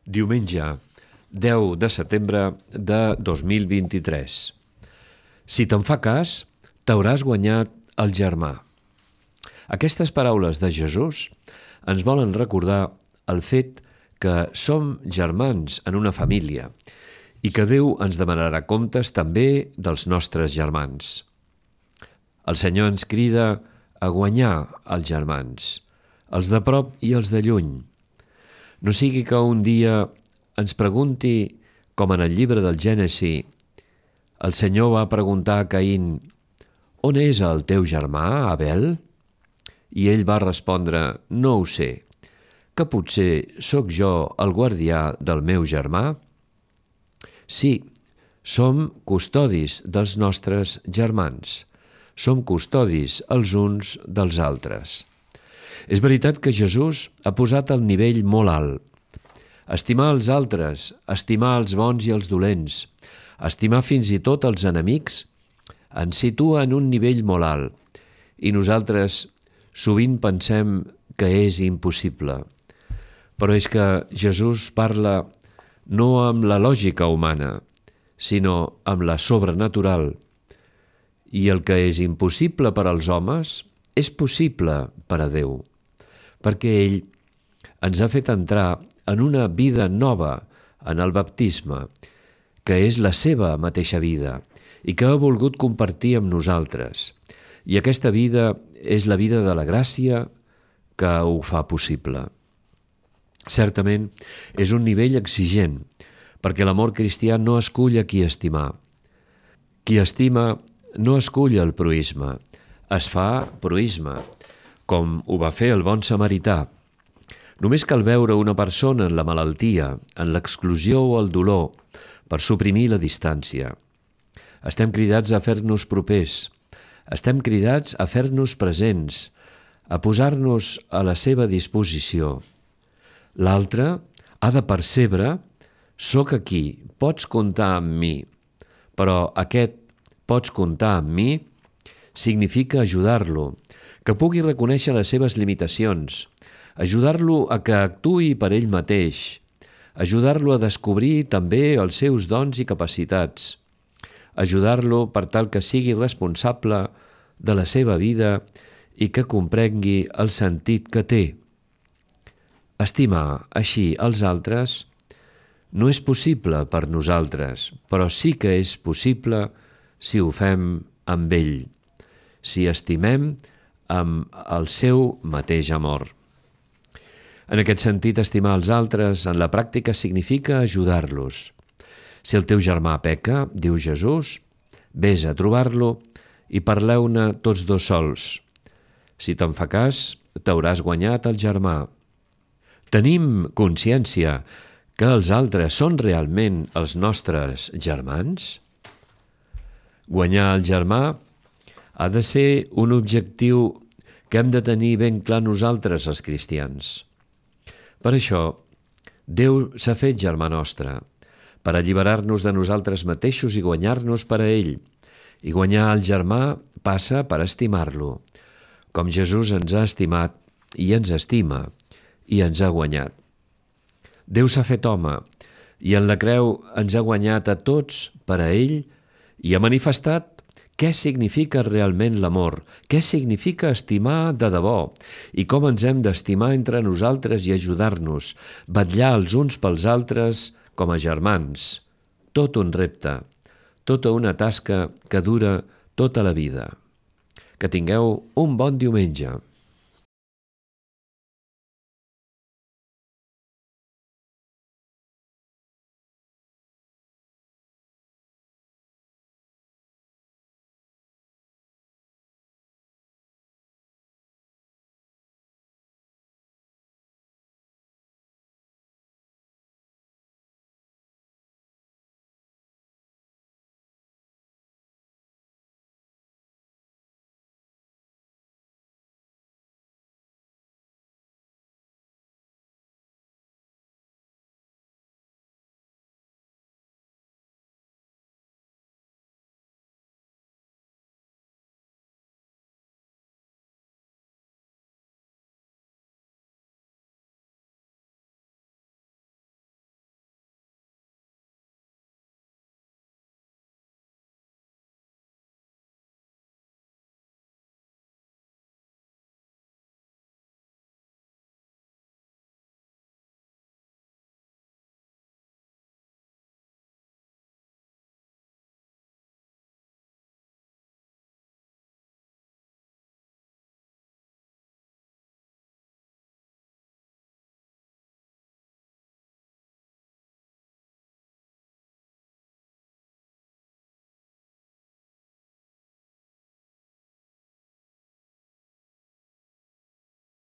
Diumenge, 10 de setembre de 2023. Si te'n fa cas, t'hauràs guanyat el germà. Aquestes paraules de Jesús ens volen recordar el fet que som germans en una família i que Déu ens demanarà comptes també dels nostres germans. El Senyor ens crida a guanyar els germans, els de prop i els de lluny. No sigui que un dia ens pregunti, com en el llibre del Gènesi, el Senyor va preguntar a Caín: «On és el teu germà, Abel?» I ell va respondre: «No ho sé, que potser sóc jo el guardià del meu germà?» Sí, som custodis dels nostres germans, som custodis els uns dels altres. És veritat que Jesús ha posat el nivell molt alt. Estimar els altres, estimar els bons i els dolents, estimar fins i tot els enemics, ens situa en un nivell molt alt i nosaltres sovint pensem que és impossible. Però és que Jesús parla no amb la lògica humana, sinó amb la sobrenatural. I el que és impossible per als homes és possible per a Déu, perquè ell ens ha fet entrar en una vida nova en el baptisme, que és la seva mateixa vida i que ha volgut compartir amb nosaltres. I aquesta vida és la vida de la gràcia que ho fa possible. Certament, és un nivell exigent, perquè l'amor cristià no escull a qui estimar. Qui estima no escull el proïsme, es fa proïsme, com ho va fer el bon samarità. Només cal veure una persona en la malaltia, en l'exclusió o el dolor, per suprimir la distància. Estem cridats a fer-nos propers, estem cridats a fer-nos presents, a posar-nos a la seva disposició. L'altre ha de percebre: «Soc aquí, pots comptar amb mi», però aquest «pots comptar amb mi» significa ajudar-lo, que pugui reconèixer les seves limitacions, ajudar-lo a que actuï per ell mateix, ajudar-lo a descobrir també els seus dons i capacitats, ajudar-lo per tal que sigui responsable de la seva vida i que comprengui el sentit que té. Estimar així els altres no és possible per nosaltres, però sí que és possible si ho fem amb ell, si estimem amb el seu mateix amor. En aquest sentit, estimar els altres en la pràctica significa ajudar-los. Si el teu germà peca, diu Jesús, vés a trobar-lo i parleu-ne tots dos sols. Si te'n fa cas, t'hauràs guanyat el germà. Tenim consciència que els altres són realment els nostres germans? Guanyar el germà ha de ser un objectiu que hem de tenir ben clar nosaltres, els cristians. Per això, Déu s'ha fet germà nostre, per alliberar-nos de nosaltres mateixos i guanyar-nos per a ell. I guanyar el germà passa per estimar-lo, com Jesús ens ha estimat i ens estima i ens ha guanyat. Déu s'ha fet home i en la creu ens ha guanyat a tots per a ell i ha manifestat què significa realment l'amor, què significa estimar de debò i com ens hem d'estimar entre nosaltres i ajudar-nos, vetllar els uns pels altres com a germans. Tot un repte, tota una tasca que dura tota la vida. Que tingueu un bon diumenge.